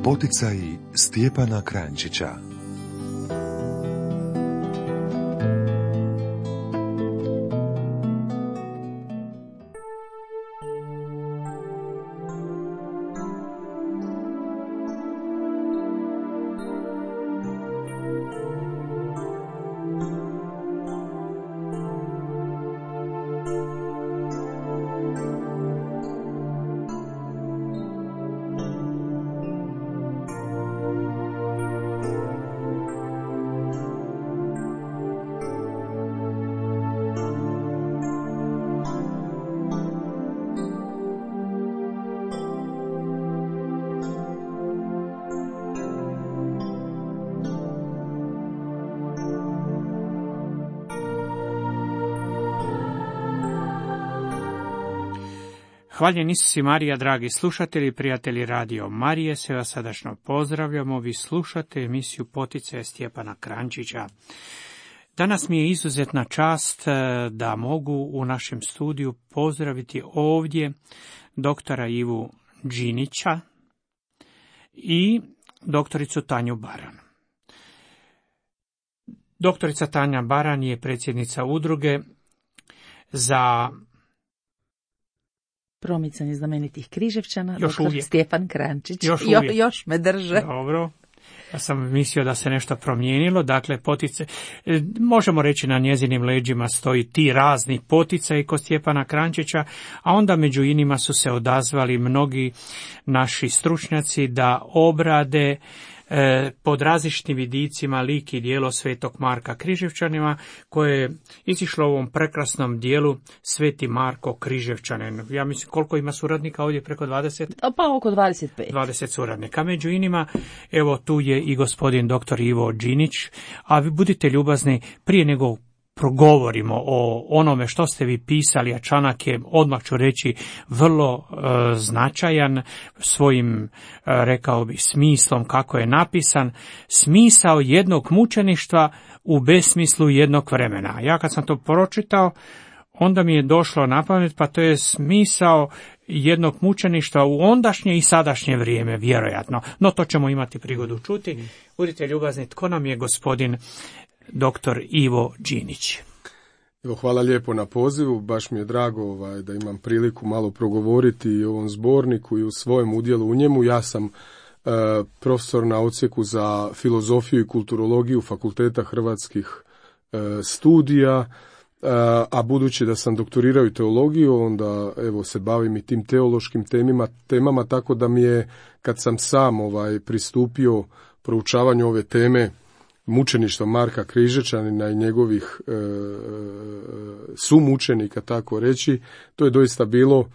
Poticaji Stjepana Kranjčića. Hvaljen Isus i Marija, dragi slušatelji i prijatelji Radio Marije, sve vas srdačno pozdravljamo. Vi slušate emisiju Poticaje Stjepana Kranjčića. Danas mi je izuzetna čast da mogu u našem studiju pozdraviti ovdje doktora Ivu Đinića i doktoricu Tanju Baran. Doktorica Tanja Baran je predsjednica udruge za promicanje znamenitih Križevčana, još doktor uvijek. Stjepan Kranjčić. Još me drže. Dobro. Ja sam mislio da se nešto promijenilo, dakle možemo reći na njezinim leđima stoji ti razni poticaji kod Stjepana Kranjčića, a onda među inima su se odazvali mnogi naši stručnjaci da obrade pod različitim vidicima lik i djelo Svetog Marka Križevčanima, koje je izišlo u ovom prekrasnom dijelu Sveti Marko Križevčanin. Ja mislim, koliko ima suradnika ovdje, preko 20? Pa oko 25. 20 suradnika. Među inima, evo tu je i gospodin doktor Ivo Đinić, a vi budite ljubazni, prije nego progovorimo o onome što ste vi pisali, a članak je, odmah ću reći, vrlo značajan svojim, rekao bih, smislom kako je napisan. Smisao jednog mučeništva u besmislu jednog vremena. Ja kad sam to pročitao, onda mi je došlo na pamet, pa to je smisao jednog mučeništva u ondašnje i sadašnje vrijeme, vjerojatno. No to ćemo imati prigodu čuti. Budite ljubazni, tko nam je gospodin doktor Ivo Đinić? Evo, hvala lijepo na pozivu, baš mi je drago da imam priliku malo progovoriti i o ovom zborniku i u svojem udjelu u njemu. Ja sam profesor na odsjeku za filozofiju i kulturologiju Fakulteta hrvatskih studija, a budući da sam doktorirao i teologiju, onda evo se bavim i tim teološkim temama, tako da mi je, kad sam sam pristupio proučavanju ove teme mučeništva Marka Križevčanina i njegovih sumučenika, tako reći, to je doista bilo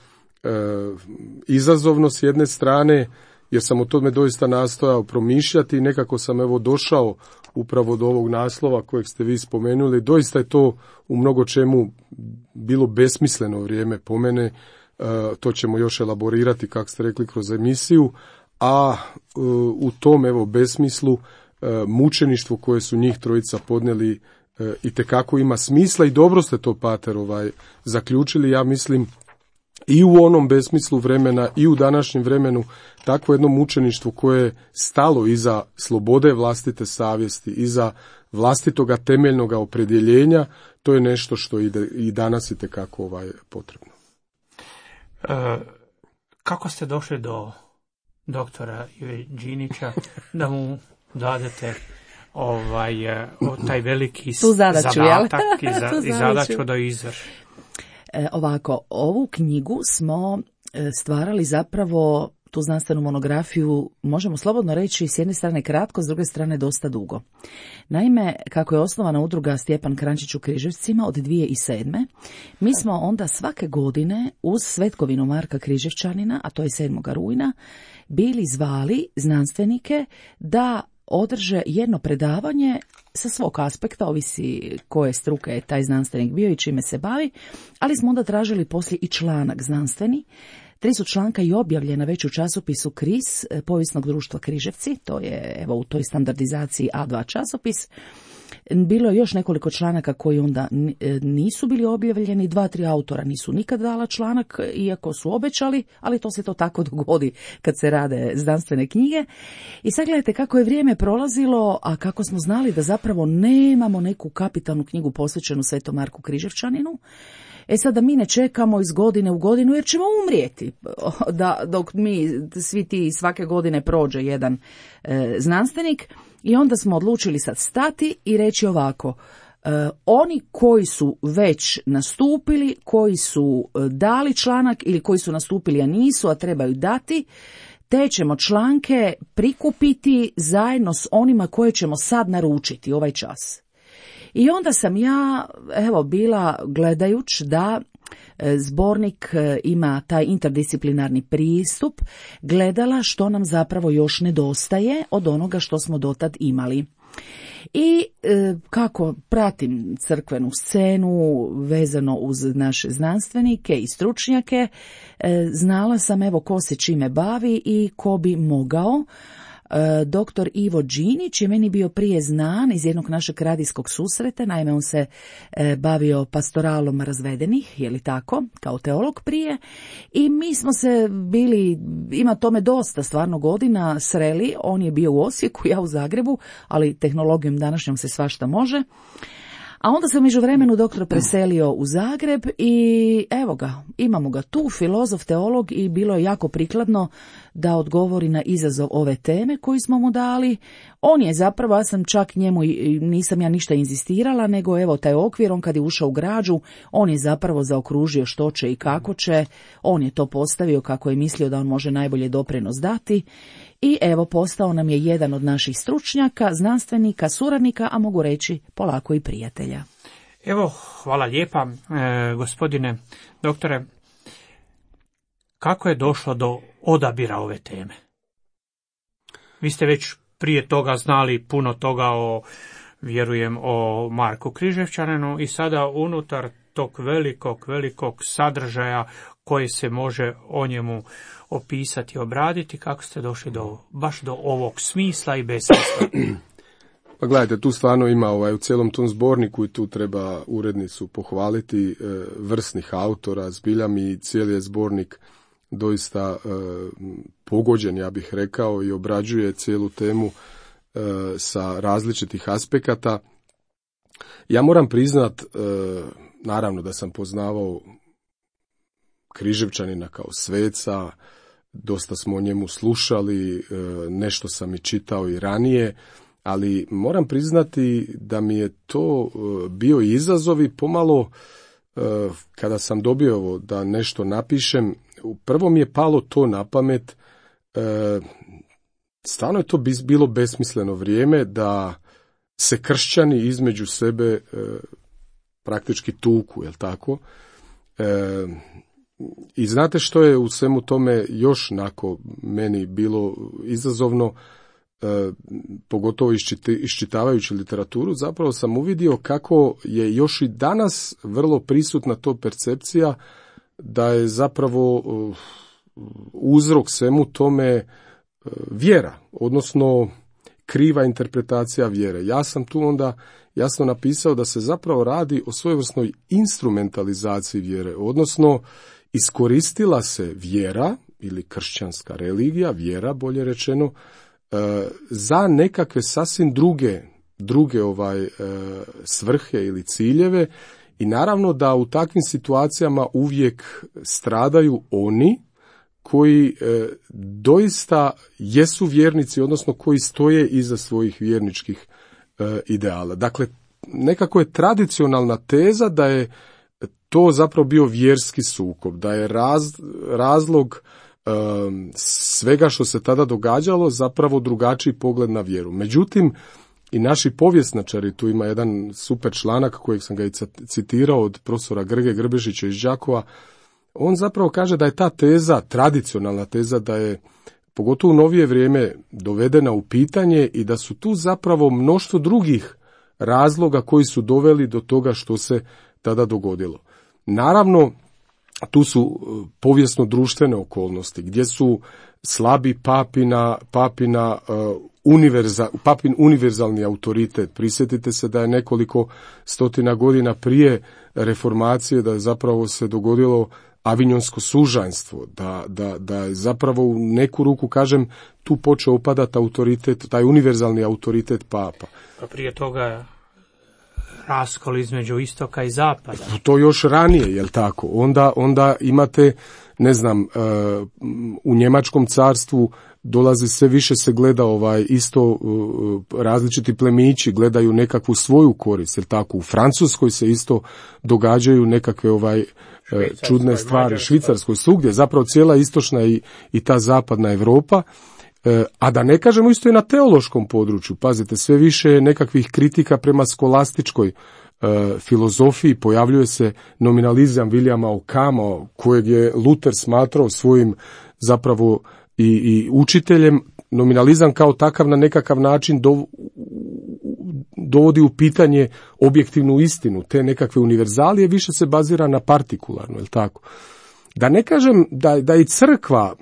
izazovno s jedne strane, jer sam o tome doista nastojao promišljati i nekako sam evo došao upravo do ovog naslova kojeg ste vi spomenuli. Doista je to u mnogo čemu bilo besmisleno vrijeme po mene, to ćemo još elaborirati, kako ste rekli, kroz emisiju, a u tom evo besmislu mučeništvo koje su njih trojica podnijeli itekako ima smisla i dobro ste to, pater, zaključili. Ja mislim i u onom besmislu vremena i u današnjem vremenu takvo jedno mučeništvo koje je stalo iza slobode vlastite savjesti, iza vlastitoga temeljnoga opredjeljenja, to je nešto što i danas itekako potrebno. Kako ste došli do doktora Ive Đinića da mu dadete taj veliki zadatak i zadaću da izvrši? Ovako, ovu knjigu smo stvarali zapravo, tu znanstvenu monografiju, možemo slobodno reći, s jedne strane kratko, s druge strane dosta dugo. Naime, kako je osnovana udruga Stjepan Kranjčić u Križevcima od 2007. mi smo onda svake godine uz svetkovinu Marka Križevčanina, a to je 7. rujna, bili zvali znanstvenike da održe jedno predavanje sa svog aspekta, ovisi koje struke je taj znanstvenik bio i čime se bavi, ali smo onda tražili poslije i članak znanstveni. 3 su članka i objavljena već u časopisu KRIS, Povijesnog društva Križevci, to je evo u toj standardizaciji A2 časopis. Bilo je još nekoliko članaka koji onda nisu bili objavljeni, 2-3 autora nisu nikad dala članak, iako su obećali, ali to se to tako dogodi kad se rade znanstvene knjige. I sad gledajte kako je vrijeme prolazilo, a kako smo znali da zapravo nemamo neku kapitalnu knjigu posvećenu Svetom Marku Križevčaninu. Sad da mi ne čekamo iz godine u godinu jer ćemo umrijeti, dok mi svi ti svake godine prođe jedan znanstvenik. I onda smo odlučili sad stati i reći ovako, oni koji su već nastupili, koji su dali članak ili koji su nastupili a nisu, a trebaju dati, te ćemo članke prikupiti zajedno s onima koje ćemo sad naručiti ovaj čas. I onda sam ja, bila gledajući da zbornik ima taj interdisciplinarni pristup, gledala što nam zapravo još nedostaje od onoga što smo dotad imali. I kako pratim crkvenu scenu vezano uz naše znanstvenike i stručnjake, znala sam ko se čime bavi i ko bi mogao. Dr. Ivo Đinić je meni bio prije znan iz jednog našeg radijskog susreta, naime on se bavio pastoralom razvedenih, je li tako, kao teolog prije, i mi smo se bili, ima tome dosta stvarno godina, sreli, on je bio u Osijeku, ja u Zagrebu, ali tehnologijom današnjom se svašta može. A onda se u međuvremenu doktor preselio u Zagreb i evo ga, imamo ga tu, filozof, teolog, i bilo je jako prikladno da odgovori na izazov ove teme koju smo mu dali. On je zapravo, ja sam čak njemu, nisam ja ništa inzistirala, nego taj okvir, on kad je ušao u građu, on je zapravo zaokružio što će i kako će, on je to postavio kako je mislio da on može najbolje doprinos dati. I postao nam je jedan od naših stručnjaka, znanstvenika, suradnika, a mogu reći polako i prijatelja. Hvala lijepa, gospodine doktore. Kako je došlo do odabira ove teme? Vi ste već prije toga znali puno toga vjerujem, o Marku Križevčaninu i sada unutar tog velikog sadržaja koji se može o njemu opisati, obraditi, kako ste došli baš do ovog smisla i besmisla? Pa gledajte, tu stvarno ima u cijelom tom zborniku i tu treba urednicu pohvaliti, vrsnih autora, zbilja mi cijeli je zbornik doista pogođen, ja bih rekao, i obrađuje cijelu temu sa različitih aspekata. Ja moram priznat, naravno da sam poznavao Križevčanina kao sveca, dosta smo o njemu slušali, nešto sam i čitao i ranije, ali moram priznati da mi je to bio izazov i pomalo kada sam dobio da nešto napišem, prvo mi je palo to na pamet, stvarno je to bilo besmisleno vrijeme da se kršćani između sebe praktički tuku, jel tako? I znate što je u svemu tome još meni bilo izazovno, pogotovo iščitavajući literaturu, zapravo sam uvidio kako je još i danas vrlo prisutna to percepcija da je zapravo uzrok svemu tome vjera, odnosno kriva interpretacija vjere. Ja sam tu onda jasno napisao da se zapravo radi o svojevrsnoj instrumentalizaciji vjere, odnosno iskoristila se vjera ili kršćanska religija, vjera bolje rečeno, za nekakve sasvim druge svrhe ili ciljeve, i naravno da u takvim situacijama uvijek stradaju oni koji doista jesu vjernici, odnosno koji stoje iza svojih vjerničkih ideala. Dakle, nekako je tradicionalna teza da je to zapravo bio vjerski sukob, da je razlog svega što se tada događalo zapravo drugačiji pogled na vjeru. Međutim, i naši povjesničari, tu ima jedan super članak kojeg sam ga i citirao od profesora Grge Grbešića iz Đakova, on zapravo kaže da je ta teza, tradicionalna teza, da je pogotovo u novije vrijeme dovedena u pitanje i da su tu zapravo mnoštvo drugih razloga koji su doveli do toga što se tada dogodilo. Naravno, tu su povijesno-društvene okolnosti, gdje su slabi papin univerzalni autoritet. Prisjetite se da je nekoliko stotina godina prije reformacije da je zapravo se dogodilo avinjonsko sužanjstvo, da je zapravo u neku ruku, kažem, tu počeo upadati autoritet, taj univerzalni autoritet papa. A prije toga raskol između istoka i zapada. To još ranije, jel tako? Onda imate, ne znam, u Njemačkom carstvu dolazi sve više se gleda isto različiti plemići gledaju nekakvu svoju korist, jel tako? U Francuskoj se isto događaju nekakve čudne stvari, Švicarskoj, svugdje, zapravo cijela istočna i ta zapadna Europa. A da ne kažemo isto i na teološkom području, pazite, sve više je nekakvih kritika prema skolastičkoj filozofiji, pojavljuje se nominalizam Williama Ockhama, kojeg je Luther smatrao svojim zapravo i učiteljem. Nominalizam kao takav na nekakav način dovodi u pitanje objektivnu istinu, te nekakve univerzalije više se bazira na partikularno, je li tako? Da ne kažem da i crkva,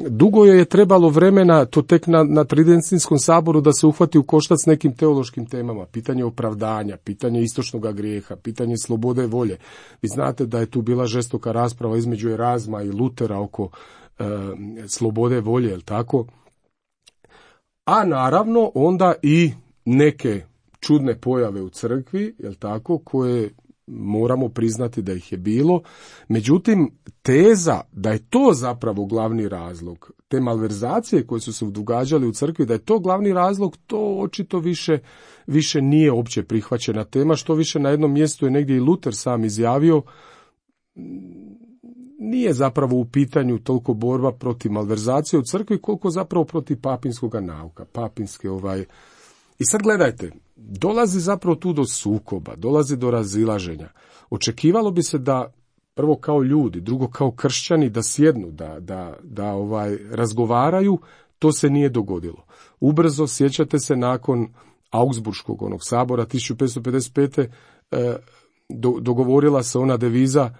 dugo je trebalo vremena, to tek na Tridentinskom saboru, da se uhvati u koštac s nekim teološkim temama, pitanje opravdanja, pitanje istočnog grijeha, pitanje slobode volje. Vi znate da je tu bila žestoka rasprava između Erazma i Lutera oko slobode volje, je li tako? A naravno onda i neke čudne pojave u crkvi, je li tako, koje moramo priznati da ih je bilo. Međutim, teza da je to zapravo glavni razlog, te malverzacije koje su se događale u crkvi, da je to glavni razlog, to očito više nije opće prihvaćena tema, što više na jednom mjestu je negdje i Luther sam izjavio, nije zapravo u pitanju toliko borba protiv malverzacije u crkvi, koliko zapravo protiv papinskog nauka, papinske I sad gledajte, dolazi zapravo tu do sukoba, dolazi do razilaženja. Očekivalo bi se da prvo kao ljudi, drugo kao kršćani da sjednu, da razgovaraju, to se nije dogodilo. Ubrzo, sjećate se, nakon Augsburškog sabora 1555. Dogovorila se ona deviza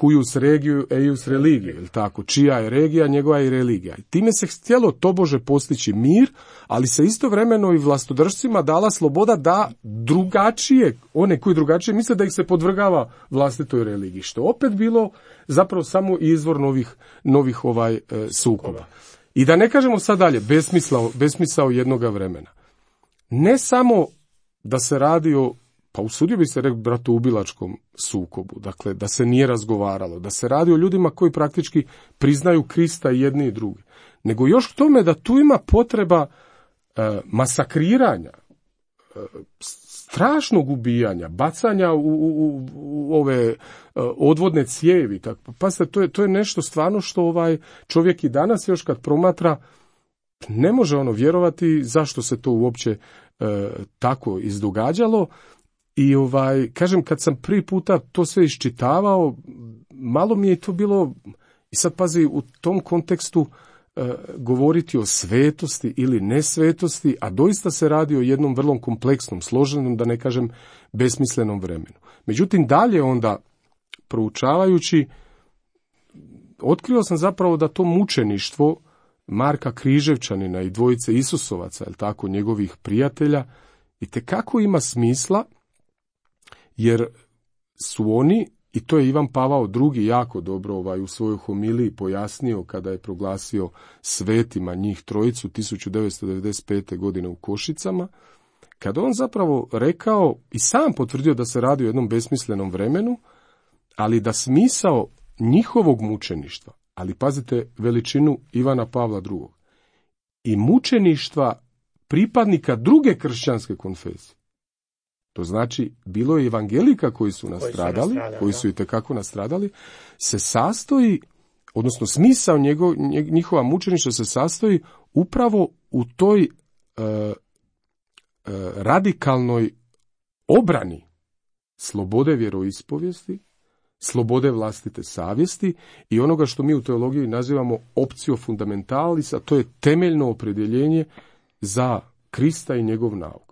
cuius regio eius religio, je tako? Čija je regija, njegova je religija. I time se htjelo tobože postići mir, ali se istovremeno i vlastodržcima dala sloboda da drugačije, one koji drugačije misle, da ih se podvrgava vlastitoj religiji, što opet bilo zapravo samo izvor novih sukoba. I da ne kažemo sad dalje, besmisao jednoga vremena. Ne samo da se radi o, pa usudio bi se reći, bratoubilačkom sukobu, dakle da se nije razgovaralo, da se radi o ljudima koji praktički priznaju Krista i jedni i drugi, nego još k tome da tu ima potreba masakriranja, strašnog ubijanja, bacanja u ove odvodne cijevi. Pazite, to je nešto stvarno što čovjek i danas još kad promatra ne može vjerovati zašto se to uopće tako izdogađalo. I kažem, kad sam prvi puta to sve iščitavao, malo mi je to bilo, i sad pazi, u tom kontekstu govoriti o svetosti ili nesvetosti, a doista se radi o jednom vrlo kompleksnom, složenom, da ne kažem besmislenom vremenu. Međutim, dalje onda, proučavajući, otkrio sam zapravo da to mučeništvo Marka Križevčanina i dvojice Isusovaca, je tako, njegovih prijatelja, itekako ima smisla, jer su oni, i to je Ivan Pavao II jako dobro u svojoj homiliji pojasnio kada je proglasio svetima njih trojicu 1995. godine u Košicama, kada on zapravo rekao i sam potvrdio da se radi o jednom besmislenom vremenu, ali da smisao njihovog mučeništva, ali pazite veličinu Ivana Pavla II, i mučeništva pripadnika druge kršćanske konfesije. To znači, bilo je evangelika koji su nastradali, koji su itekako nastradali, se sastoji, odnosno smisao njihova mučeništva se sastoji upravo u toj radikalnoj obrani slobode vjeroispovijesti, slobode vlastite savjesti i onoga što mi u teologiji nazivamo optio fundamentalis, a to je temeljno opredjeljenje za Krista i njegov nauk.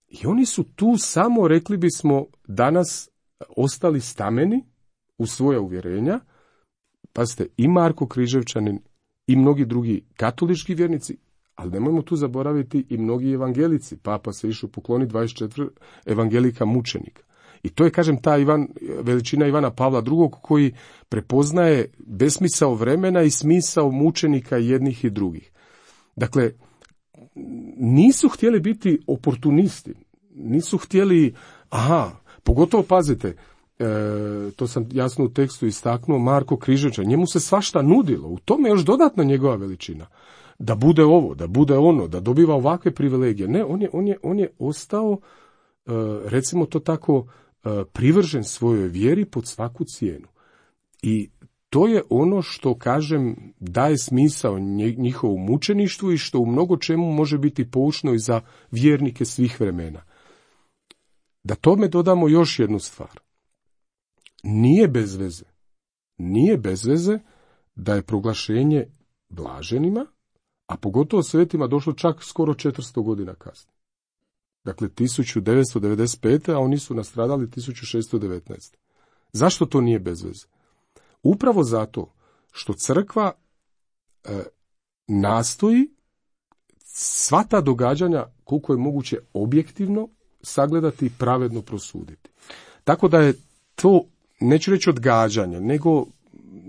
I oni su tu samo, rekli bismo, danas ostali stameni, u svoja uvjerenja. Pazite, i Marko Križevčanin i mnogi drugi katolički vjernici, ali nemojmo tu zaboraviti i mnogi evangelici. Papa se išao pokloniti 24 evangelika mučenika. I to je, kažem, ta veličina Ivana Pavla II. Koji prepoznaje besmisao vremena i smisao mučenika jednih i drugih. Dakle, nisu htjeli biti oportunisti, nisu htjeli, pogotovo pazite, to sam jasno u tekstu istaknuo, Marko Križevčanin, njemu se svašta nudilo, u tome još dodatno njegova veličina. Da bude ovo, da bude ono, da dobiva ovakve privilegije. Ne, on je ostao, recimo to tako, privržen svojoj vjeri pod svaku cijenu. I to je ono što, kažem, daje smisao njihovom mučeništvu i što u mnogo čemu može biti poučno i za vjernike svih vremena. Da tome dodamo još jednu stvar. Nije bez veze da je proglašenje blaženima, a pogotovo svetima, došlo čak skoro 400 godina kasnije. Dakle, 1995. a oni su nastradali 1619. Zašto to nije bez veze? Upravo zato što crkva nastoji sva ta događanja koliko je moguće objektivno sagledati i pravedno prosuditi. Tako da je to, neću reći odgađanje, nego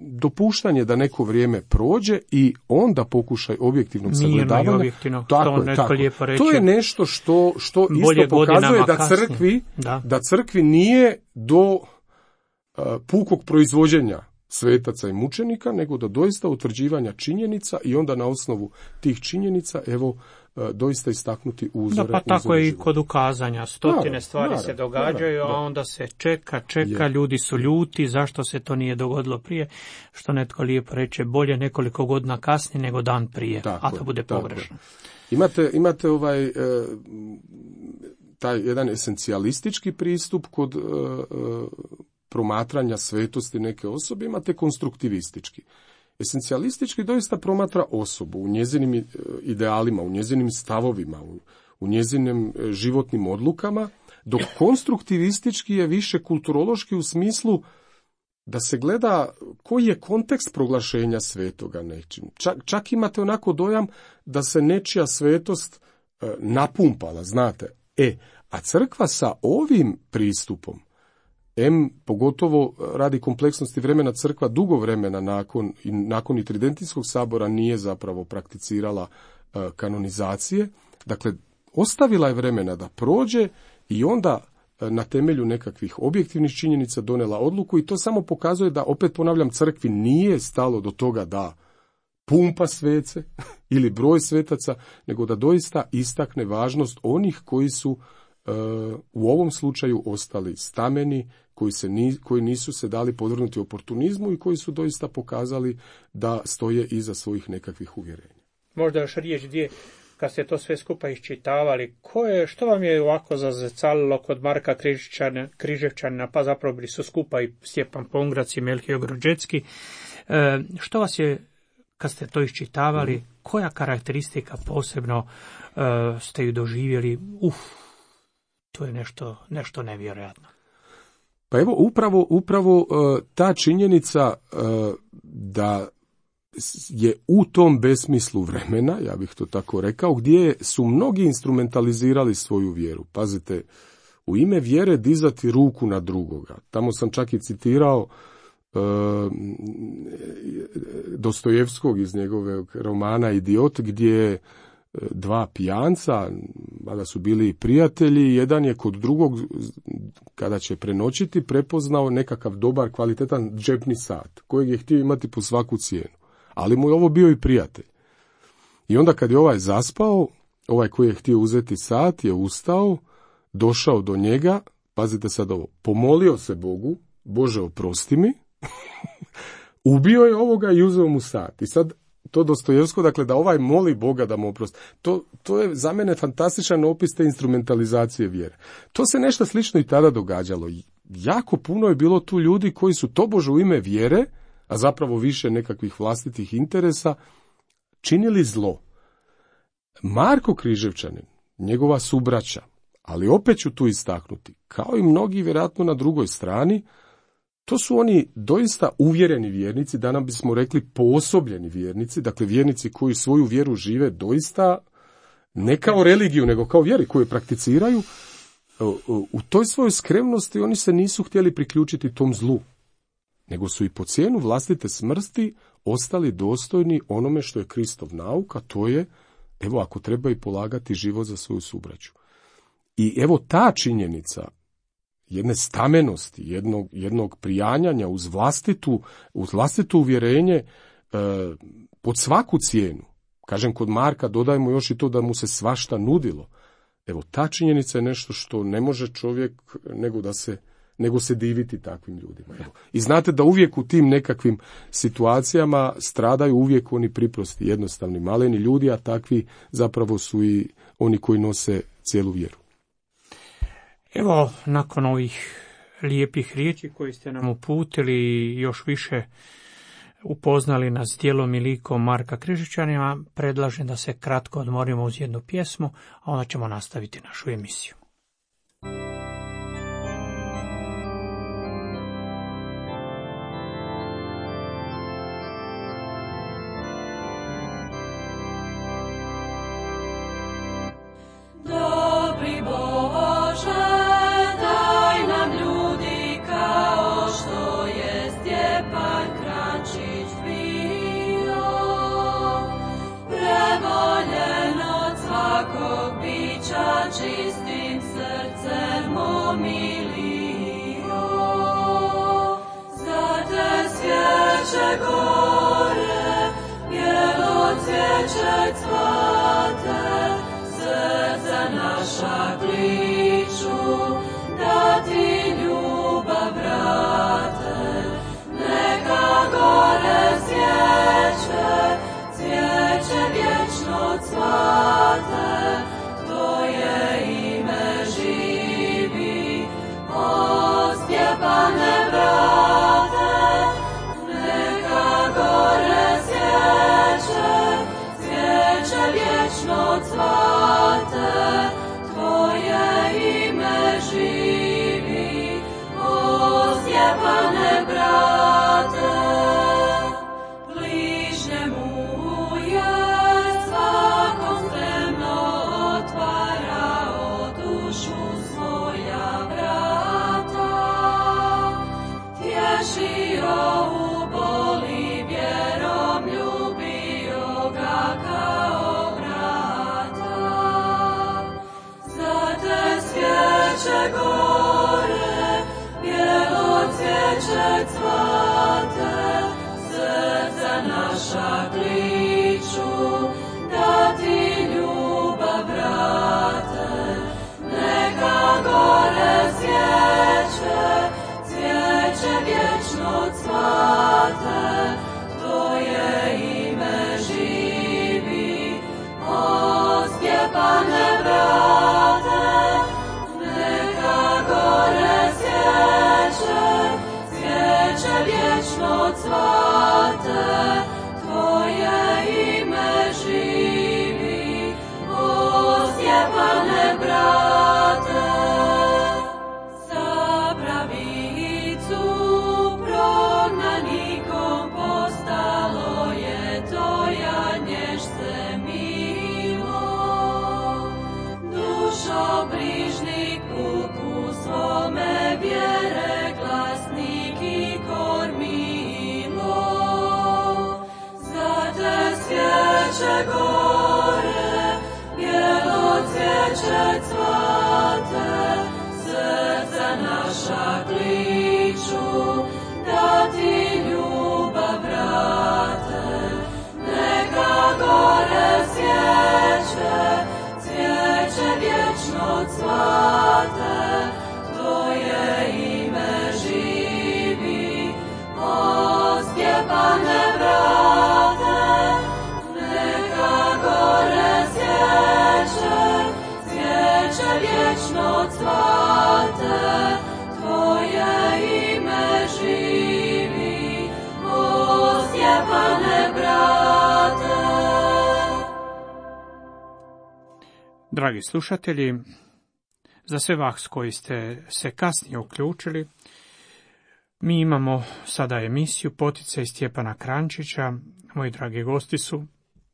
dopuštanje da neko vrijeme prođe i onda pokušaj objektivnog sagledavanja. Objektivno, to netko lijepo reče. To je nešto što isto pokazuje da crkvi nije do pukog proizvođenja svetaca i mučenika, nego do doista utvrđivanja činjenica i onda na osnovu tih činjenica, doista istaknuti uzore. Pa tako je i kod ukazanja. Stotine stvari se događaju, a onda se čeka, ljudi su ljuti, zašto se to nije dogodilo prije, što netko lijepo reče, bolje nekoliko godina kasnije nego dan prije, a to bude pogrešno. Imate taj jedan esencijalistički pristup kod promatranja svetosti neke osobe, imate konstruktivistički. Esencijalistički doista promatra osobu u njezinim idealima, u njezinim stavovima, u njezinim životnim odlukama, dok konstruktivistički je više kulturološki u smislu da se gleda koji je kontekst proglašenja svetoga nečim. Čak imate onako dojam da se nečija svetost napumpala, znate. A crkva sa ovim pristupom, pogotovo radi kompleksnosti vremena, crkva dugo vremena nakon i Tridentijskog sabora nije zapravo prakticirala kanonizacije. Dakle, ostavila je vremena da prođe i onda na temelju nekakvih objektivnih činjenica donela odluku i to samo pokazuje da, opet ponavljam, crkvi nije stalo do toga da pumpa svece ili broj svetaca, nego da doista istakne važnost onih koji su u ovom slučaju ostali stameni, koji nisu se dali podvrgnuti oportunizmu i koji su doista pokazali da stoje iza svojih nekakvih uvjerenja. Možda još riječ gdje, kad ste to sve skupa iščitavali, što vam je ovako zazecalilo kod Marka Križevčanina, pa zapravo bili su skupa i Stjepan Pongrac i Melchior Grođecki, što vas je, kad ste to iščitavali, koja karakteristika posebno ste ju doživjeli? To je nešto nevjerojatno. Pa evo, upravo ta činjenica da je u tom besmislu vremena, ja bih to tako rekao, gdje su mnogi instrumentalizirali svoju vjeru. Pazite, u ime vjere dizati ruku na drugoga. Tamo sam čak i citirao Dostojevskog iz njegovog romana Idiot, gdje dva pijanca, mada su bili prijatelji, jedan je kod drugog, kada će prenoćiti, prepoznao nekakav dobar, kvalitetan džepni sat, kojeg je htio imati po svaku cijenu. Ali mu je ovo bio i prijatelj. I onda kad je ovaj zaspao, ovaj koji je htio uzeti sat je ustao, došao do njega, pazite sad ovo, pomolio se Bogu, Bože oprosti mi, ubio je ovoga i uzeo mu sat. I sad to Dostojevsko, dakle, da ovaj moli Boga da mu oprosti. To je za mene fantastičan opis te instrumentalizacije vjere. To se nešto slično i tada događalo. Jako puno je bilo tu ljudi koji su tobože u ime vjere, a zapravo više nekakvih vlastitih interesa, činili zlo. Marko Križevčanin, njegova subraća, ali opet ću tu istaknuti, kao i mnogi vjerojatno na drugoj strani, To su oni doista uvjereni vjernici, danas bismo rekli poosobljeni vjernici, dakle vjernici koji svoju vjeru žive doista ne kao religiju, nego kao vjeri koju prakticiraju. U toj svojoj skromnosti oni se nisu htjeli priključiti tom zlu, nego su i po cijenu vlastite smrti ostali dostojni onome što je Kristov nauk, a to je, evo, ako treba i polagati život za svoju subraću. I evo ta činjenica jedne stamenosti, jednog prijanjanja uz vlastito uvjerenje pod svaku cijenu. Kažem, kod Marka dodajmo još i to da mu se svašta nudilo. Evo, ta činjenica je nešto što ne može čovjek nego se diviti takvim ljudima. Evo. I znate da uvijek u tim nekakvim situacijama stradaju uvijek oni priprosti, jednostavni, maleni ljudi, a takvi zapravo su i oni koji nose cijelu vjeru. Evo, nakon ovih lijepih riječi koje ste nam uputili i još više upoznali nas djelom i likom Marka Križičanina, predlažem da se kratko odmorimo uz jednu pjesmu, a onda ćemo nastaviti našu emisiju. Čistim srcem omilio, za te svjeće gore, bijelo cvijeće cvate, srca naša kliču, da ti ljubav vrate. Neka gore svijeće, cvijeće vječno cvate, Tvoje ime živi, o Stjepane brate. Neka gore svijeće, cvijeće vječno cvate, Tvoje ime živi, o Stjepane brate. Bližnjemu je svakom spremno otvarao dušu svoja vrata, tješio u boli vjerom, ljubio ga kao brata. Za te svjeće gore, bijelo cvijeće cvate, srca naša kliču, da ti ljubav vrate. Neka gore svijeće, cvijeće vječno cvate, Tvoje ime živi, o Stjepane brate. Neka gore svijeće, cvijeće vječno cvate, Tvoje ime živi, o Stjepane brate. Za pravicu prognanikom postalo je Tvoja nježce milo. Dušo brižnik puku svome vjere glasnik i kormilo. Za te svjeće gore, bijelo cvijeće cvate, srca naša kliču, da ti ljubav vrate. Neka gore svijeće, cvijeće vječno cvate, Tvoje ime živi, o Stjepane brate. Neka gore svijeće, cvijeće vječno cvate, Tvoje ime živi, o Stjepane brate. Dragi slušatelji, za sve vas koji ste se kasnije uključili, Mi imamo sada emisiju Poticaj Stjepana Krančića. Moji dragi gosti su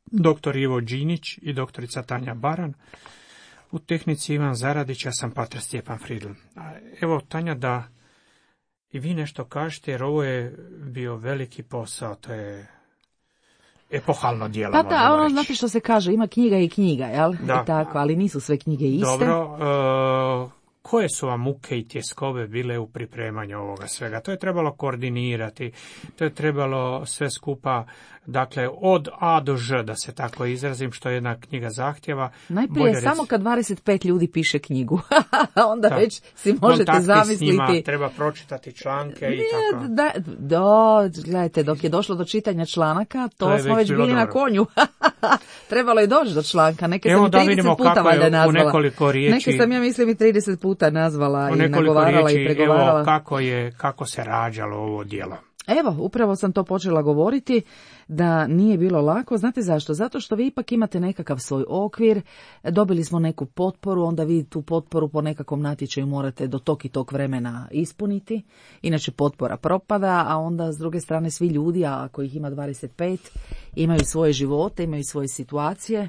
dr. Ivo Đinić i doktorica Tanja Baran. U tehnici Ivan Zaradić, ja sam pater Stjepan Fridl. Evo, Tanja, da i vi nešto kažete, jer ovo je bio veliki posao, to je epohalno djelo. Pa da, ono, znate što se kaže, ima knjiga i knjiga, jel? Da. I tako, ali nisu sve knjige iste. Dobro, koje su vam muke i tjeskobe bile u pripremanju ovoga svega? To je trebalo koordinirati, to je trebalo sve skupa, dakle, od A do Ž, da se tako izrazim, što jedna knjiga zahtjeva. Najprije samo kad 25 ljudi piše knjigu, onda da. Već si možete zamisliti. S njima, treba pročitati članke i tako. Gledajte, dok je došlo do čitanja članaka, to smo već bili na konju. Trebalo je doći do članka, neke sam 30 puta valjda nazvala. Neke sam, ja mislim, i 30 puta nazvala i nagovarala i pregovarala. Evo, kako se rađalo ovo djelo? Evo, upravo sam to počela govoriti, da nije bilo lako. Znate zašto? Zato što vi ipak imate nekakav svoj okvir, dobili smo neku potporu, onda vi tu potporu po nekakvom natječaju morate do tog i tog vremena ispuniti, inače potpora propada, a onda s druge strane svi ljudi, a ako ih ima 25, imaju svoje živote, imaju svoje situacije,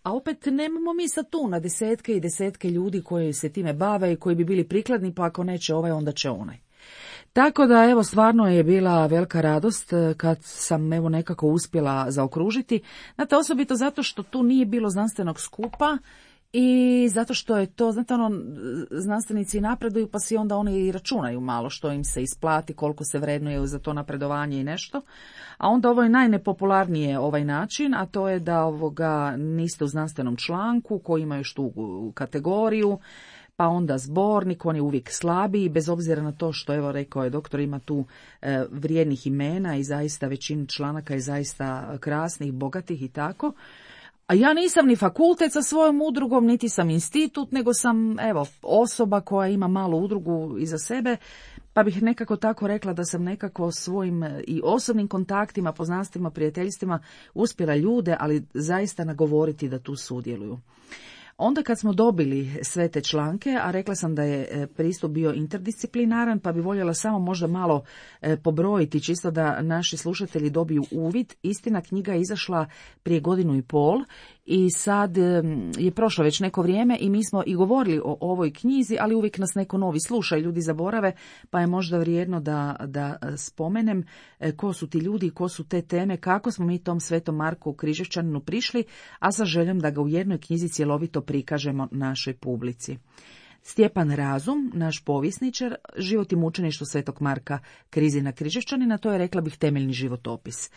a opet nemamo mi sad tu na desetke i desetke ljudi koji se time bave i koji bi bili prikladni, pa ako neće ovaj, onda će onaj. Tako da, evo, stvarno je bila velika radost kad sam, evo, nekako uspjela zaokružiti. Znate, osobito zato što tu nije bilo znanstvenog skupa i zato što je to, znate, znanstvenici napreduju pa si onda oni i računaju malo što im se isplati, koliko se vrednuje za to napredovanje i nešto. A onda ovo je najnepopularnije ovaj način, a to je da niste u znanstvenom članku koji ima još tu kategoriju, pa onda zbornik, on je uvijek slabiji, bez obzira na to što, evo, rekao je doktor, ima tu vrijednih imena i zaista većina članaka je zaista krasnih, bogatih i tako. A ja nisam ni fakultet sa svojom udrugom, niti sam institut, nego sam, evo, osoba koja ima malu udrugu iza sebe, pa bih nekako tako rekla da sam nekako svojim i osobnim kontaktima, poznanstvima, prijateljstvima uspjela ljude, ali zaista nagovoriti da tu sudjeluju. Onda kad smo dobili sve te članke, a rekla sam da je pristup bio interdisciplinaran, pa bi voljela samo možda malo pobrojiti, čisto da naši slušatelji dobiju uvid. Istina, knjiga je izašla prije 1.5 godina i sad je prošlo već neko vrijeme i mi smo i govorili o ovoj knjizi, ali uvijek nas neko novi sluša i ljudi zaborave, pa je možda vrijedno da spomenem ko su ti ljudi, ko su te teme, kako smo mi tom Svetom Marku Križevčaninu prišli, a sa željom da ga u jednoj knjizi cjelovito prikažemo našoj publici. Stjepan Razum, naš povjesničar, život i mučeništvo Svetog Marka Krizina Križevčanina, to je, rekla bih, temeljni životopis.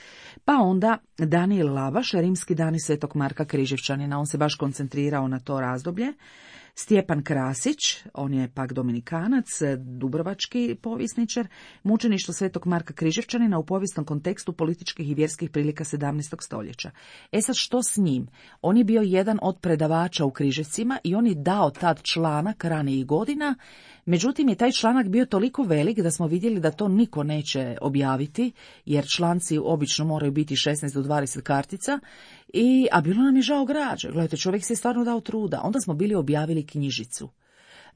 Pa onda Danijel Lavaš, rimski dani Svetog Marka Križevčanina, on se baš koncentrirao na to razdoblje. Stjepan Krasić, on je pak dominikanac, dubrovački povjesničar, mučeništvo Svetog Marka Križevčanina u povijesnom kontekstu političkih i vjerskih prilika 17. stoljeća. E sad, što s njim? On je bio jedan od predavača u Križevcima i on je dao tad članak ranijih godina, međutim je taj članak bio toliko velik da smo vidjeli da to niko neće objaviti, jer članci obično moraju biti 16 do 20 kartica, a bilo nam je žao građe. Gledajte, čovjek se je stvarno dao truda. Onda smo bili objavili knjižicu.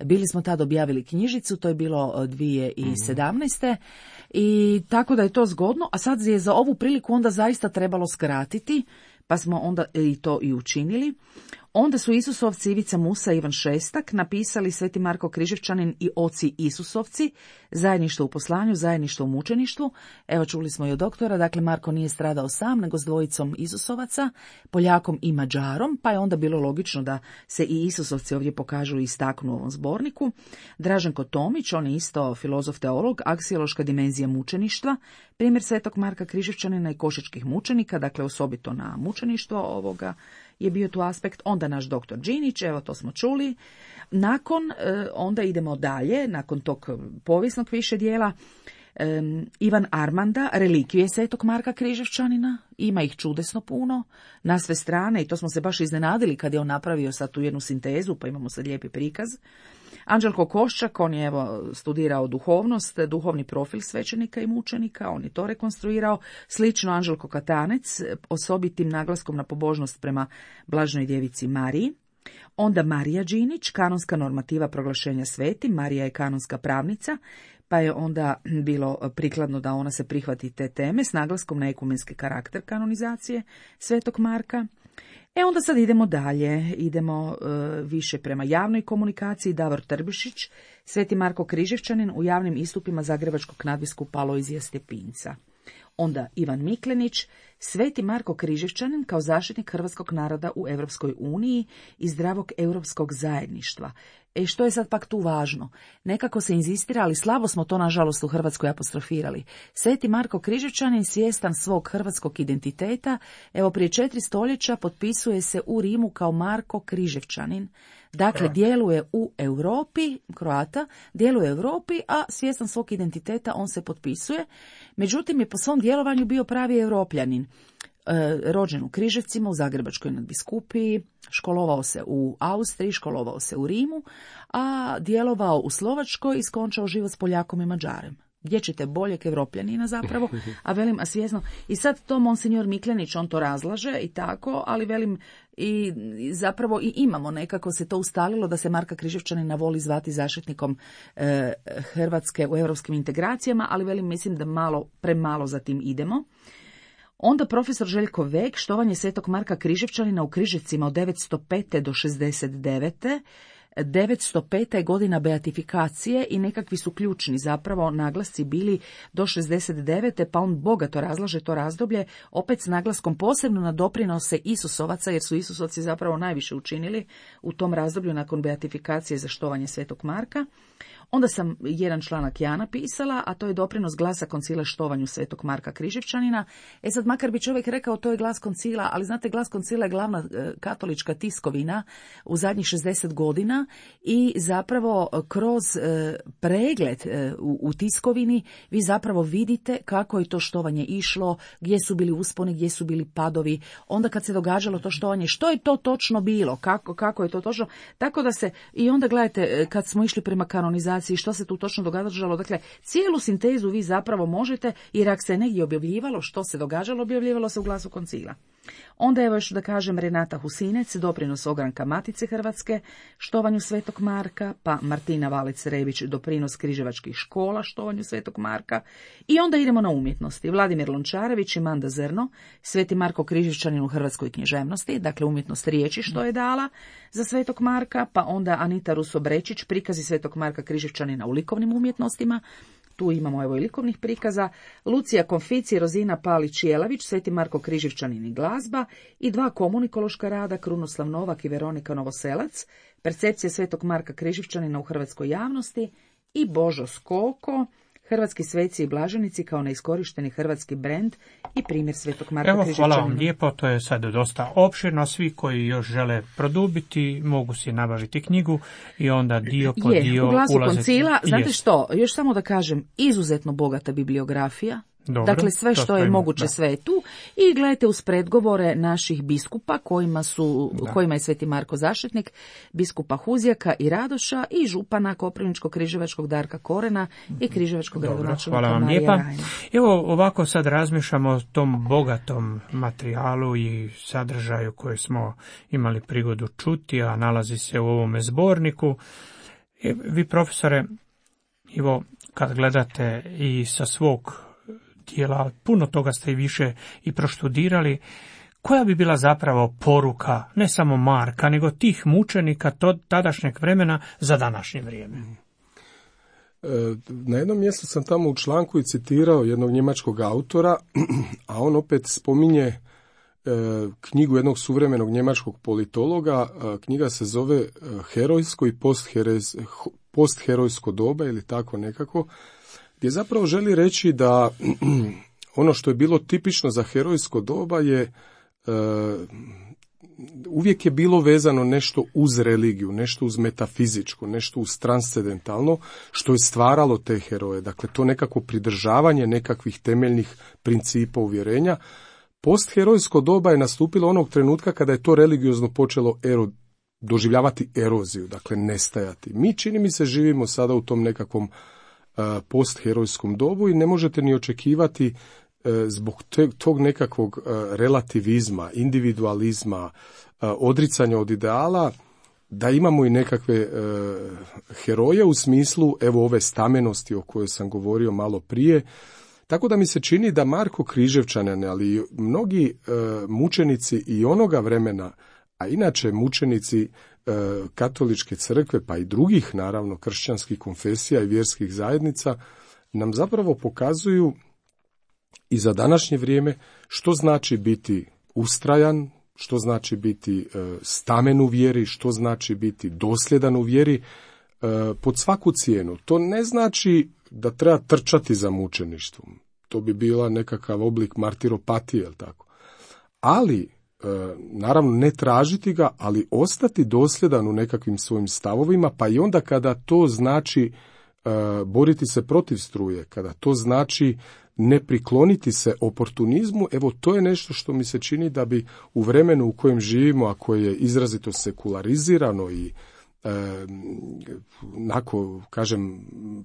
Bili smo tad objavili knjižicu, to je bilo 2017. I tako da je to zgodno, a sad je za ovu priliku onda zaista trebalo skratiti, pa smo onda i to i učinili. Onda su Isusovci Ivica Musa i Ivan Šestak napisali Sveti Marko Križevčanin i oci Isusovci, zajedništvo u poslanju, zajedništvo u mučeništvu. Evo, čuli smo i od doktora, dakle Marko nije stradao sam, nego s dvojicom Isusovaca, Poljakom i Mađarom, pa je onda bilo logično da se i Isusovci ovdje pokažu i istaknu u ovom zborniku. Draženko Tomić, on je isto filozof teolog, aksiološka dimenzija mučeništva, primjer Svetog Marka Križevčanina i košačkih mučenika, dakle osobito na mučeništvo je bio tu aspekt. Onda naš doktor Đinić, evo to smo čuli. Onda idemo dalje, nakon tog povijesnog više dijela, Ivan Armanda, relikvije Svetog Marka Križevčanina, ima ih čudesno puno, na sve strane, i to smo se baš iznenadili kad je on napravio sad tu jednu sintezu, pa imamo sad lijepi prikaz. Anđelko Koščak, on je studirao duhovnost, duhovni profil svećenika i mučenika, on je to rekonstruirao, slično Anđelko Katanec, osobitim naglaskom na pobožnost prema Blažnoj djevici Mariji. Onda Marija Đinić, kanonska normativa proglašenja svetim, Marija je kanonska pravnica, pa je onda bilo prikladno da ona se prihvati te teme s naglaskom na ekumenski karakter kanonizacije Svetog Marka. Onda sad idemo dalje, idemo više prema javnoj komunikaciji. Davor Trbišić, Sveti Marko Križevčanin u javnim istupima zagrebačkog nadbiskupa Alojzija Stepinca. Onda Ivan Miklenić, Sveti Marko Križevčanin kao zaštitnik hrvatskog naroda u Europskoj uniji i zdravog europskog zajedništva. Što je sad pak tu važno? Nekako se inzistira, ali slabo smo to nažalost u Hrvatskoj apostrofirali. Sveti Marko Križevčanin, svjestan svog hrvatskog identiteta, prije 4 stoljeća potpisuje se u Rimu kao Marko Križevčanin. Dakle, djeluje u Europi, Kroata, djeluje u Europi, a svjestan svog identiteta on se potpisuje. Međutim, je po svom djelovanju bio pravi Europljanin. Rođen u Križevcima, u Zagrebačkoj nadbiskupiji, školovao se u Austriji, školovao se u Rimu, a djelovao u Slovačkoj i skončao život s Poljakom i Mađarem. Gdje ćete boljeg Evropljanina zapravo, a svjesno. I sad to monsignor Miklenić, on to razlaže i tako, ali i zapravo i imamo nekako se to ustalilo da se Marka Križevčanina voli zvati zaštitnikom Hrvatske u europskim integracijama, ali mislim da premalo za tim idemo. Onda profesor Željko Vek, štovanje Svetog Marka Križevčanina u Križevcima od 905. do 69. 905. je godina beatifikacije i nekakvi su ključni zapravo naglasci bili do 69. pa on bogato razlaže to razdoblje, opet s naglaskom posebno na doprinose Isusovaca, jer su Isusovci zapravo najviše učinili u tom razdoblju nakon beatifikacije za štovanje Svetog Marka. Onda sam jedan članak ja napisala, a to je doprinos glasa koncila štovanju Svetog Marka Križevčanina. Sad makar bi čovjek rekao to je glas koncila, ali znate, glas koncila je glavna katolička tiskovina u zadnjih 60 godina i zapravo kroz pregled u tiskovini vi zapravo vidite kako je to štovanje išlo, gdje su bili usponi, gdje su bili padovi, onda kad se događalo to štovanje, što je to točno bilo, kako je to točno, tako da se, i onda gledajte, kad smo išli prema kanonizaciji, što se tu točno događalo, dakle, cijelu sintezu vi zapravo možete, jer ako se negdje objavljivalo što se događalo, objavljivalo se u glasu koncila. Onda evo još da kažem Renata Husinec, doprinos ogranka Matice Hrvatske, štovanju Svetog Marka, pa Martina Valec-Rebić, doprinos križevačkih škola, štovanju Svetog Marka. I onda idemo na umjetnosti. Vladimir Lončarević i Manda Zrno, Sveti Marko Križevčanin u hrvatskoj književnosti, dakle umjetnost riječi što je dala za Svetog Marka, pa onda Anita Ruso-Brečić, prikazi Svetog Marka Križevčanina u likovnim umjetnostima. Tu imamo evo i likovnih prikaza, Lucija Konfici, Rozina Palić-Jelavić, Sveti Marko Križevčanin i glazba i 2 komunikološka rada, Krunoslav Novak i Veronika Novoselac, percepcija Svetog Marka Križevčanina u hrvatskoj javnosti i Božo Skoko, Hrvatski sveci i blaženici kao neiskorišteni hrvatski brend i primjer Svetog Marka Križevčanina. Hvala vam lijepo, to je sad dosta opširno. Svi koji još žele produbiti mogu si nabaviti knjigu i onda dio po dio u glasu ulaziti. koncila, znate što, još samo da kažem, izuzetno bogata bibliografija. Dobro, dakle, sve što je moguće, da. sve je tu. I gledajte uz predgovore naših biskupa, kojima je Sveti Marko zaštitnik, biskupa Huzjaka i Radoša i župana Koprivničko-križevačkog Darka Korena i križevačkog gradonačelnika Marija Rajna. Evo ovako sad razmišljamo o tom bogatom materijalu i sadržaju koje smo imali prigodu čuti, a nalazi se u ovome zborniku. Vi, profesore, evo, kad gledate i sa svog dijela, puno toga ste i više i proštudirali, koja bi bila zapravo poruka, ne samo Marka, nego tih mučenika tadašnjeg vremena za današnje vrijeme? Na jednom mjestu sam tamo u članku i citirao jednog njemačkog autora, a on opet spominje knjigu jednog suvremenog njemačkog politologa. Knjiga se zove Herojsko i postherojsko doba ili tako nekako, gdje zapravo želi reći da ono što je bilo tipično za herojsko doba je uvijek je bilo vezano nešto uz religiju, nešto uz metafizičko, nešto uz transcendentalno, što je stvaralo te heroje. Dakle, to nekako pridržavanje nekakvih temeljnih principa uvjerenja. Postherojsko doba je nastupilo onog trenutka kada je to religiozno počelo doživljavati eroziju, dakle nestajati. Mi, čini mi se, živimo sada u tom nekakvom postherojskom dobu i ne možete ni očekivati zbog tog nekakvog relativizma, individualizma, odricanja od ideala, da imamo i nekakve heroje u smislu evo ove stamenosti o kojoj sam govorio malo prije. Tako da mi se čini da Marko Križevčanin, ali i mnogi mučenici i onoga vremena, a inače mučenici katoličke crkve, pa i drugih naravno kršćanskih konfesija i vjerskih zajednica, nam zapravo pokazuju i za današnje vrijeme što znači biti ustrajan, što znači biti stamen u vjeri, što znači biti dosljedan u vjeri pod svaku cijenu. To ne znači da treba trčati za mučeništvom. To bi bila nekakav oblik martiropatije, jel tako? Ali, naravno, ne tražiti ga, ali ostati dosljedan u nekakvim svojim stavovima, pa i onda kada to znači boriti se protiv struje, kada to znači ne prikloniti se oportunizmu, evo to je nešto što mi se čini da bi u vremenu u kojem živimo, a koje je izrazito sekularizirano i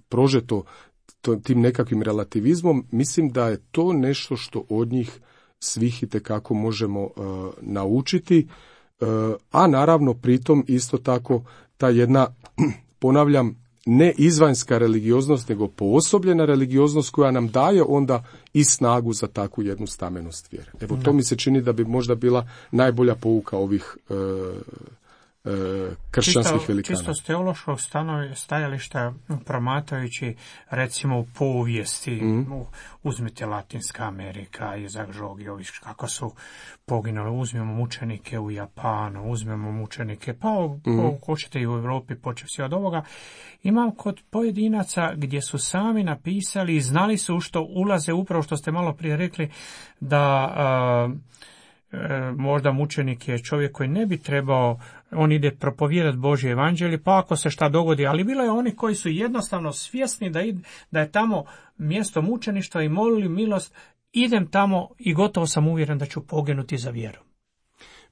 prožeto tim nekakvim relativizmom, mislim da je to nešto što od njih svih itekako možemo naučiti, a naravno pritom isto tako ta jedna, ponavljam, ne izvanjska religioznost, nego poosobljena religioznost koja nam daje onda i snagu za takvu jednu stamenost vjere. Evo, to mi se čini da bi možda bila najbolja pouka ovih kršćanskih velikana. Čisto s teološkog stajališta, promatrajući recimo u povijesti, uzmite Latinska Amerika, Izak Žogiović, kako su poginuli, uzmemo mučenike u Japanu, uzmemo mučenike, pa hoćete i u Europi, počevši od ovoga. Imam kod pojedinaca gdje su sami napisali i znali su u što ulaze, upravo što ste malo prije rekli, da možda mučenik je čovjek koji ne bi trebao, on ide propovijedati Božje evanđelje, pa ako se šta dogodi, ali bilo je oni koji su jednostavno svjesni da je tamo mjesto mučeništva i molili milost, idem tamo i gotovo sam uvjeren da ću poginuti za vjeru.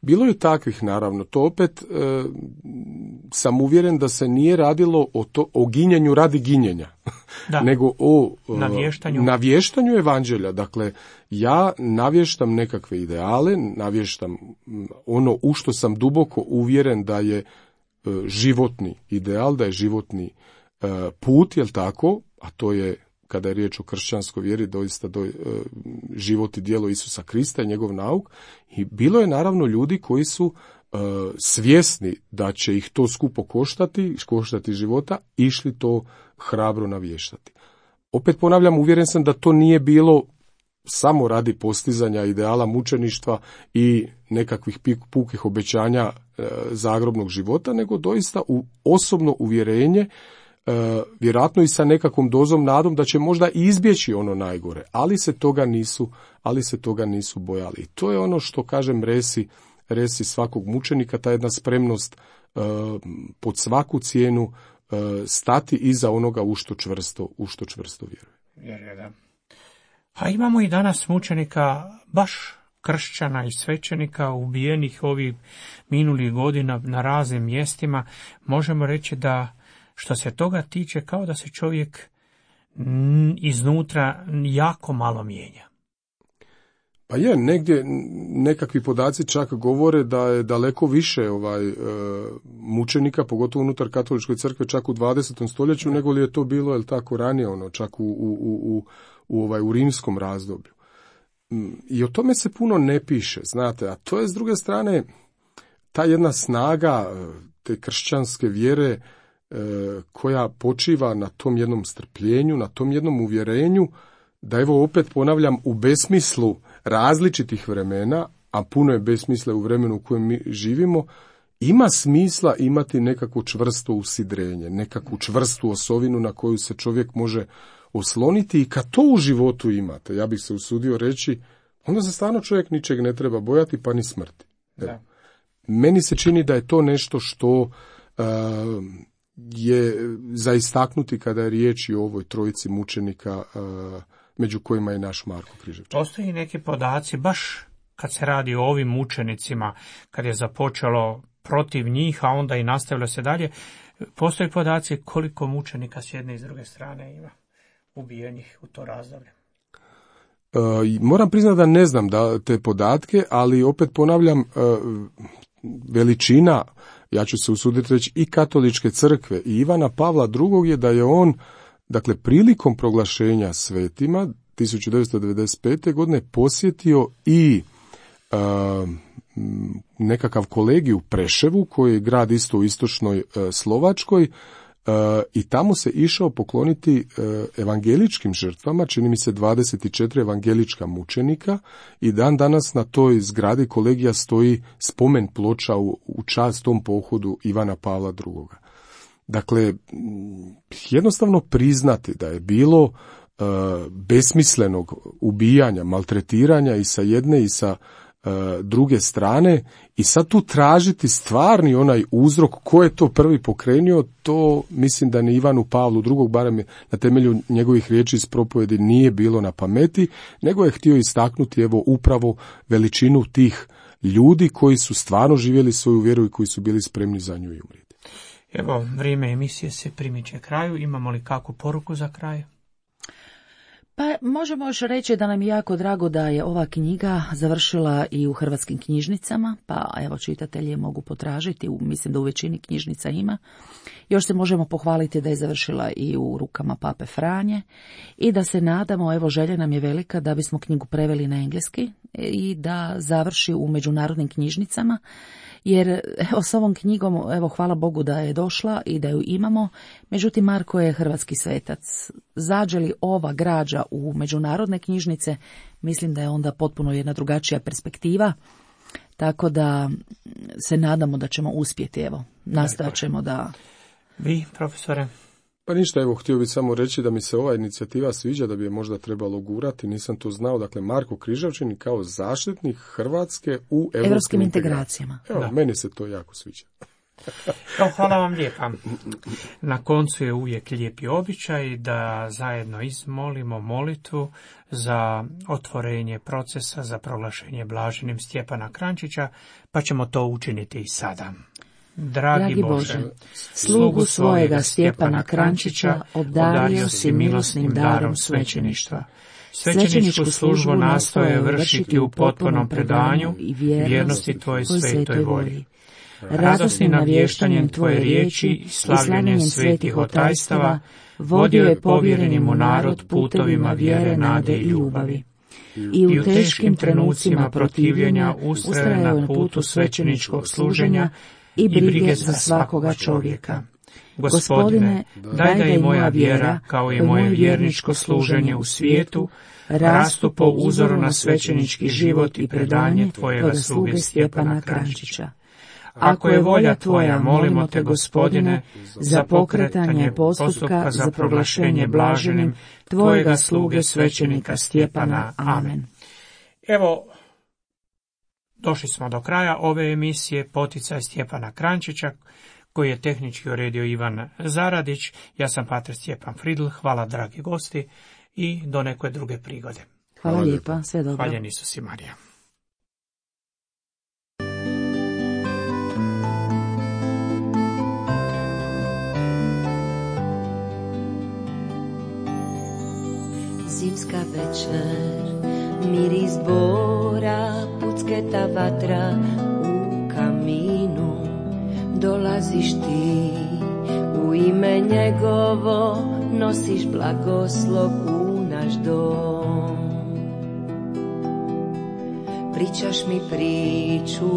Bilo je takvih, naravno. To opet sam uvjeren da se nije radilo o ginjenju radi ginjenja, nego o navještanju evanđelja. Dakle, ja navještam nekakve ideale, navještam ono u što sam duboko uvjeren da je životni ideal, da je životni put, jel tako, a to je, kada je riječ o kršćanskoj vjeri, doista život i djelo Isusa Krista i njegov nauk. I bilo je naravno ljudi koji su svjesni da će ih to skupo koštati života, išli to hrabro navještati. Opet ponavljam, uvjeren sam da to nije bilo samo radi postizanja ideala mučeništva i nekakvih pukih obećanja zagrobnog života, nego doista u osobno uvjerenje, vjerojatno i sa nekakvom dozom nadom da će možda izbjeći ono najgore, ali se toga nisu bojali. I to je ono što, kažem, resi svakog mučenika, ta jedna spremnost pod svaku cijenu stati iza onoga u što čvrsto vjeruje. Da. A imamo i danas mučenika, baš kršćana i svećenika ubijenih ovih minulih godina na raznim mjestima. Možemo reći da što se toga tiče, kao da se čovjek iznutra jako malo mijenja. Pa je, negdje nekakvi podaci čak govore da je daleko više mučenika, pogotovo unutar katoličke crkve, čak u 20. stoljeću, nego li je to bilo, jel tako, ranije, čak u rimskom razdoblju. I o tome se puno ne piše, znate, a to je s druge strane ta jedna snaga te kršćanske vjere koja počiva na tom jednom strpljenju, na tom jednom uvjerenju, da evo opet ponavljam, u besmislu različitih vremena, a puno je besmisla u vremenu u kojem mi živimo, ima smisla imati nekakvo čvrsto usidrenje, nekakvu čvrstu osovinu na koju se čovjek može osloniti, i kad to u životu imate, ja bih se usudio reći, onda se stvarno čovjek ničeg ne treba bojati, pa ni smrti. Meni se čini da je to nešto što je za istaknuti kada je riječ i o ovoj trojici mučenika, među kojima je naš Marko Križevčanin. Postoji neki podaci, baš kad se radi o ovim mučenicima, kad je započelo protiv njih, a onda i nastavilo se dalje, postoji podaci koliko mučenika s jedne i s druge strane ima ubijenih u to razdoblje. Moram priznati da ne znam te podatke, ali opet ponavljam, veličina ja ću se usuditi reći, i katoličke crkve i Ivana Pavla II je da je on, dakle, prilikom proglašenja svetima 1995. godine posjetio i nekakav kolegij u Preševu, koji je grad isto u istočnoj Slovačkoj, i tamo se išao pokloniti evangeličkim žrtvama, čini mi se 24 evangelička mučenika, i dan danas na toj zgradi kolegija stoji spomen ploča u čast tom pohodu Ivana Pavla II. Dakle, jednostavno priznati da je bilo besmislenog ubijanja, maltretiranja i sa jedne i sa druge strane, i sad tu tražiti stvarni onaj uzrok ko je to prvi pokrenio, to mislim da ni Ivanu Pavlu II, barem na temelju njegovih riječi iz propovjedi, nije bilo na pameti, nego je htio istaknuti evo upravo veličinu tih ljudi koji su stvarno živjeli svoju vjeru i koji su bili spremni za nju i umrijeti. Evo, vrijeme emisije se primiče kraju. Imamo li kakvu poruku za kraj? Pa možemo još reći da nam je jako drago da je ova knjiga završila i u hrvatskim knjižnicama, pa evo čitatelji je mogu potražiti, mislim da u većini knjižnica ima. Još se možemo pohvaliti da je završila i u rukama Pape Franje i da se nadamo, evo želja nam je velika da bismo knjigu preveli na engleski i da završi u međunarodnim knjižnicama. Jer evo s ovom knjigom, evo hvala Bogu da je došla i da ju imamo, međutim Marko je hrvatski svetac. Zađe li ova građa u međunarodne knjižnice, mislim da je onda potpuno jedna drugačija perspektiva, tako da se nadamo da ćemo uspjeti, evo, nastojat ćemo da... Vi, profesore? Pa ništa, evo, htio bih samo reći da mi se ova inicijativa sviđa, da bi je možda trebalo gurati, nisam to znao, dakle, Marko Križevčanin kao zaštitnik Hrvatske u europskim integracijama. Evo, da. Meni se to jako sviđa. Evo, hvala vam lijepa. Na koncu je uvijek lijepi običaj da zajedno izmolimo molitvu za otvorenje procesa za proglašenje blaženim Stjepana Kranjčića, pa ćemo to učiniti i sada. Dragi Bože, slugu svojega Stjepana Kranjčića obdario si milosnim darom svećeništva. Svećeničku službu nastoje vršiti u potpunom predanju i vjernosti Tvojoj svetoj volji. Radosnim navještanjem Tvoje riječi i slavljenjem svetih otajstava vodio je povjereni mu narod putovima vjere, nade i ljubavi. I u teškim trenucima protivljenja ustraje na putu svećeničkog služenja i brige za svakoga čovjeka. Gospodine, daj da i moja vjera, kao i moje vjerničko služenje u svijetu, rastu po uzoru na svećenički život i predanje Tvojega sluge Stjepana Kranjčića. Ako je volja Tvoja, molimo Te, Gospodine, za pokretanje postupka za proglašenje blaženim Tvojega sluge svećenika Stjepana. Amen. Evo, došli smo do kraja ove emisije Poticaj Stjepana Kranjčića, koji je tehnički uredio Ivan Zaradić. Ja sam pater Stjepan Fridl. Hvala, dragi gosti, i do neke druge prigode. Hvala lijepa, sve dobro. Hvaljen Isus i Marija. Zimska večer, miris dvora, pucketa vatra u kaminu. Dolaziš ti, u ime njegovo nosiš blagoslov u naš dom. Pričaš mi priču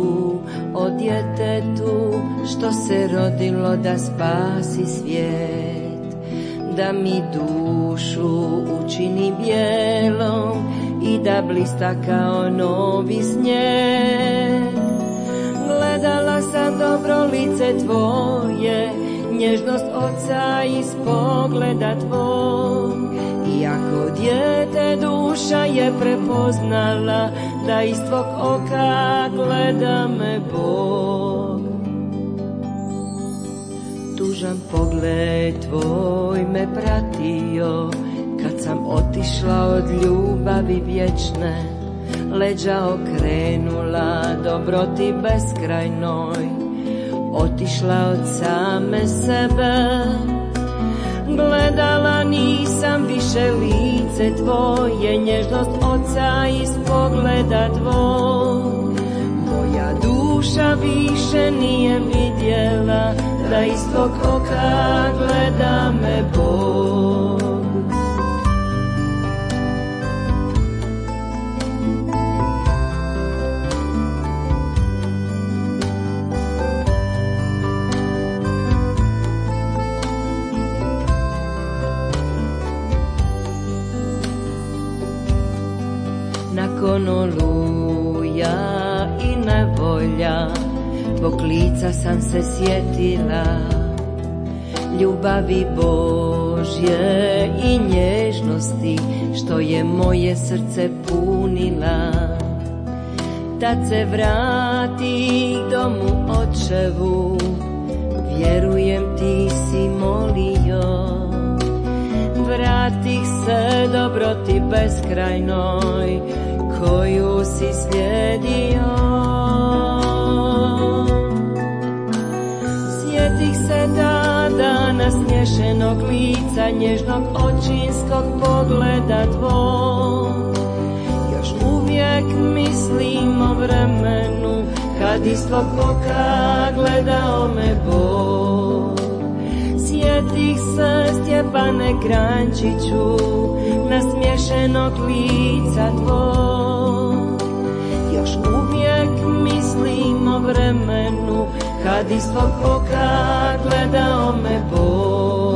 o djetetu što se rodilo da spasi svijet, da mi dušu učini bijelom i da blista kao novi snijeg. Gledala sam dobro lice Tvoje, nježnost Oca iz pogleda Tvog. Iako dijete duša je prepoznala da iz Tvog oka gleda me Bog. Tužan pogled Tvoj me pratio kad sam otišla od ljubavi vječne. Leđa okrenula dobroti beskrajnoj, otišla od same sebe. Gledala nisam više lice Tvoje, nježnost Oca iz pogleda Tvog. Moja duša duša više nije vidjela, da iz tvog oka gleda me Bog. Nakon oluja i nevolja, tvog lica sam se sjetila, ljubavi Božje i nježnosti, što je moje srce punila. Tad se vrati domu očevu, vjerujem ti si molio. Vratih se dobroti beskrajnoj, koju si slijedio. Sjetih se tada nasmiješenog lica, nježnog očinskog pogleda tvog. Još uvijek mislim o vremenu, kad iz tvog oka gledao me Bog. Sjetih se Stjepane Kranjčiću, nasmiješenog lica tvog. Još uvijek mislim o vremenu, kad iz tvog oka gledao me Bog.